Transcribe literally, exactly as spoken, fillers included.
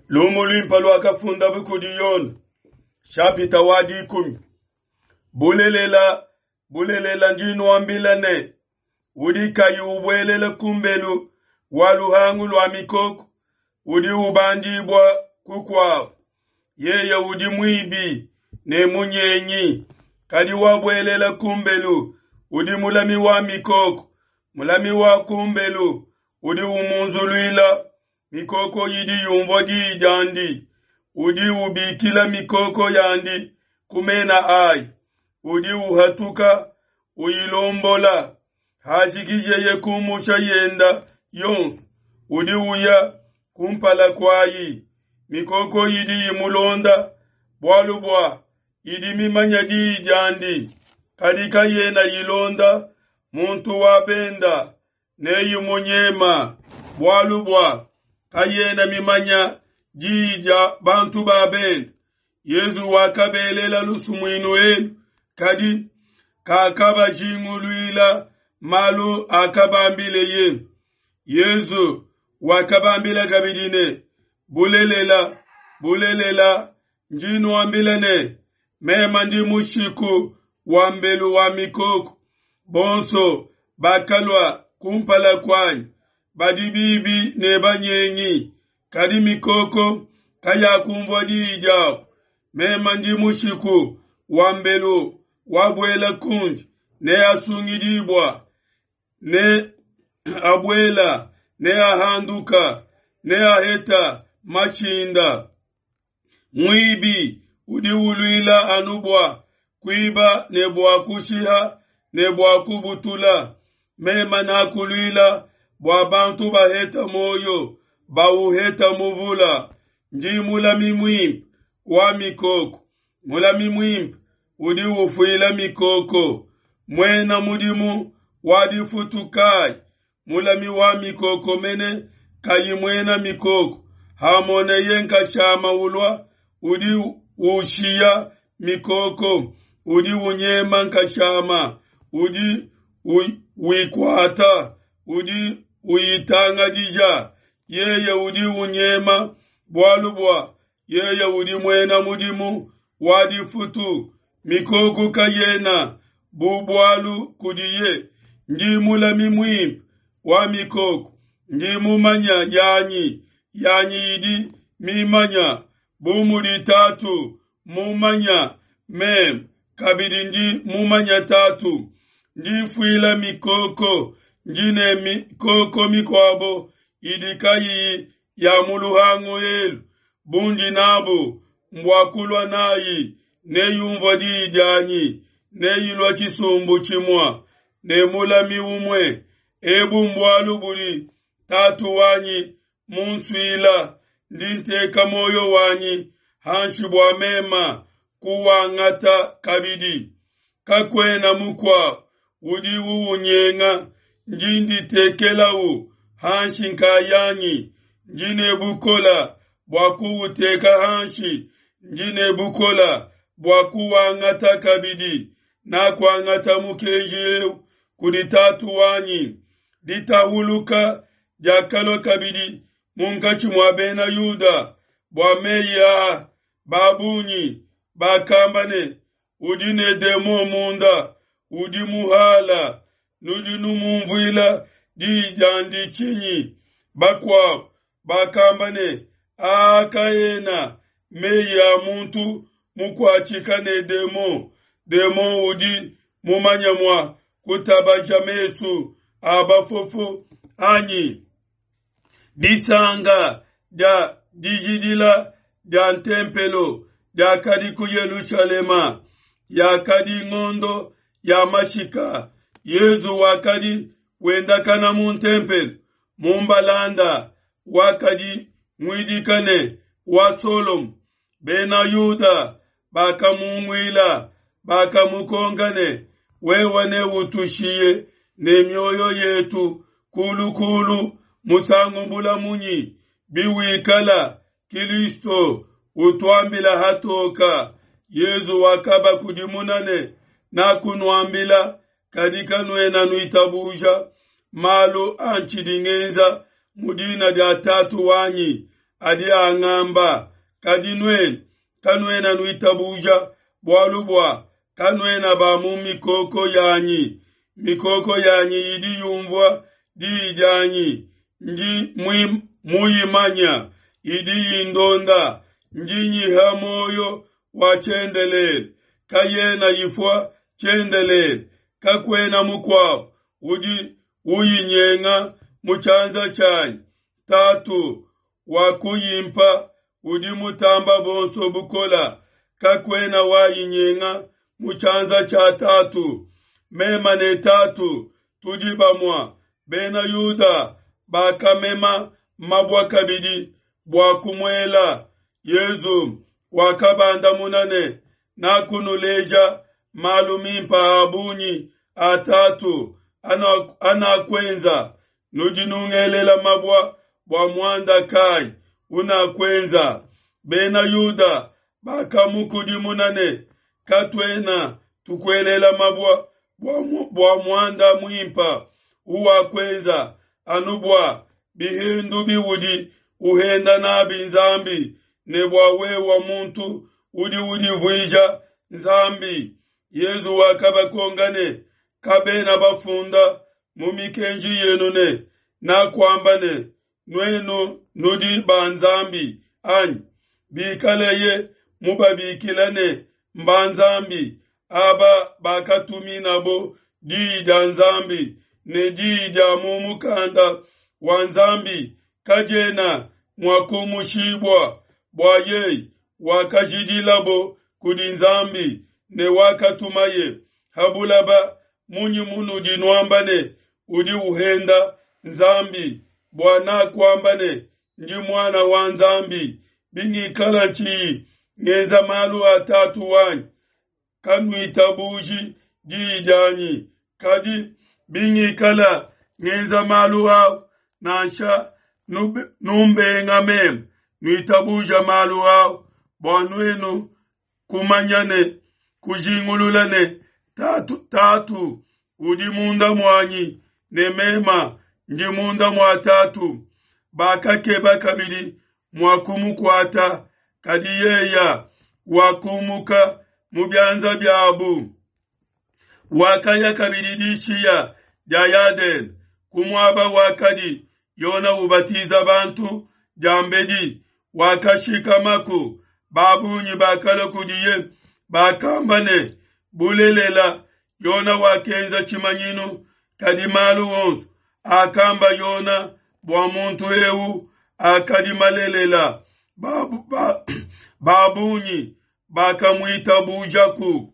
Lumu luimpe luakafundabu kudi Yone, shapita wa dikumi. Bulelela, bulelela ndi nuambila ne, udi kayi ubuelela kumbelu wa luhangu lua mikoko, udi ubandibua kukuabu. Yeye udi muibi ne munyengi, kadi wabuelela kumbelu udi mulami wa mikoko. Mulami wa kumbelu udi umunzuluila, mikoko idi yumvua diyi diandi. Udi ubikila mikoko yandi ku mena ayi, udi uhatuka uyilombola. Hajikijeye kumusha yenda yonso, udi uya kumpala kuayi. Mikoko idi imulonda, bualu bua idi mimanya diyi diandi. Kadi kayena ilonda muntu wa benda, neyimunyema, bualu bua kayena mimanya diyi dia bantu ba bende. Yezu wakabelela lusumuinu elu, kadi kakabajinguluila malu akabambileye. Yezu wakabambila kabidi ne, bulelela, bulelela, ndi nuambila ne, meme ndi mushiku wa mbelu wa mikoko. Bonso bakalua kumpala kuanyi badi bibi ne banyengi, kadi mikoko kayakumvua diyi diabo. Meme ndi mushiku wa mbelu, wabuela kundi neasungidibua, ne abuela neahanduka, neaheta mashinda. Muibi udi uluila anu bua kuiba ne bua kushiha ne bua kubutula. Meme nakuluila bua bantu baheta muoyo, bauheta muvula. Ndi mulami muimpe wa mikoko. Mulami muimpe udi ufuila mikoko. Muena mudimu wa difutu kayi mulami wa mikoko mene kayi muena mikoko, hamoneye nkashama ulua, udi ushiya mikoko, udi unyema nkashama, udi wikuata, udi uyitangadija. Yeye udi unyema bualu bua yeye udi muena mudimu wa difutu, mikoko kayena bu bualu kudiye. Ndi mulami muimpe wa mikoko, ndi mumanya yanyi, yanyi idi mimanya, bu mudi Tatu mumanya meme, kabidi ndi mumanya Tatu. Ndi mfuila mikoko, ndi ne mikoko mikuabo idi kayiyi ya mu luhangu elu, bundi nabu mbua kulua nayi, neyumvua diyi dianyi, neyilua tshisumbu tshimue ne mulami umue. Ebu mbualu budi Tatu wanyi munsuila, ndi nteka muoyo wanyi hanshi bua mema kuwangata kabidi. Kakuena mukuabu udi uwunyenga, ndi nditekelau hanshi nkayanyi. Ndi ne bukola bua kuwuteka hanshi, ndi ne bukola bua kuwangata kabidi. Nakuangata mukenji eu kudi Tatu wanyi. Ditahuluka diakalua kabidi munkatshi mua bena Yuda bua meyi aa. Babungi bakamba ne, udi ne demon munda, udi muhala, nudi numumvuila diyi diandi tshinyi? Bakuabu bakamba ne, aa kaena meyi a muntu mukuatshika ne demon. Demon udi mumanya mua kutabaja mesu a bafofu anyi? Disanga dia dijidila dia ntempelo diakadi ku Yelushalema, yakadi ngondo ya mashika. Yezu wakadi wendakana mu ntempelo mu mbalanda wakadi muidika ne wa Solomo. Bena Yuda bakamunguila, bakamukonka ne, wewe neutushiye ne mioyo yetu kulu kulu musangu bula munyi? Biwikala Kilisto utuambila hatoka. Yezu wakabakudimuna ne, nakunuambila, kadi kanuena nuitabuja. Malu antshidi ngenza mu dina dia Tatu wanyi adi angamba, kadi nuenu kanuena nuitabuja bualu bua kanuena ba mu mikoko yanyi. Mikoko yanyi idi yunvua diyi dianyi, ndi muyimanya, idi indonda, ndi nyiha muoyo wa tshiendelele, kayena ifua tshiendelele, kakuena mukuabo udi uyinyenga mu tshianza tshianyi. Tatu wakuyimpa udi mutamba bonso bukola, kakuena wayinyenga mu tshianza tshia Tatu. Mema ne Tatu tudi bamua. Bena Yuda bakamema mabua kabidi bua kumuela. Yezu wakabandamuna ne, Nakunuleja malu mimpa a bungi a Tatu anakuenza, nudi nungelela mabua bua muanda kai unakuenza? Bena Yuda bakamukudimuna ne, Katuena tukuelela mabua bua muanda muimpa uwakuenza, anu bua bihendu biudi uhenda nabi Nzambi, ne bua wewa muntu udi udivuija Nzambi. Yezu wakabakonka ne, Kabena bafunda mu mikenji yenu ne, Nakuamba ne, Nuenu nudi ba nzambi, anyi? Bikaleye mubabikila ne mba nzambi, aba bakatuminabo diyi dia Nzambi, ne diyi dia mu mukanda wa Nzambi kadiena mua kumushibua, bua yeye wakajidilabo kudi Nzambi ne wakatumaye ha bulaba, munyi munudi nuamba ne, Udi uhenda Nzambi, bua nakuamba ne, Ndi Muana wa Nzambi? Bingikala ntshiyi ngenza malu a Tatu wanyi, kanuitabuji diyi dianyi. Kadi bingikala ngenza malu au, nansha numbenga meme, nuitabuja malu au, bua nuenu kumanya ne kujingulula ne, Tatu, Tatu udi munda muanyi ne mema ndi munda mua Tatu. Bakakeba kabidi mua kumukuata, kadi yeya wakumuka mu bianza biabu. Wakaya kabidi dishiya dia Yadene, ku muaba wakadi Yona ubatiza bantu diambedi, wakashikamaku. Ba bungi bakalua kudiye, bakamba ne, Bulelela, Yona wakenza tshimanyinu, kadi malu onso akamba Yona bua muntu eu akadi malelela. Ba, ba, ba bungi bakamuitabujaku.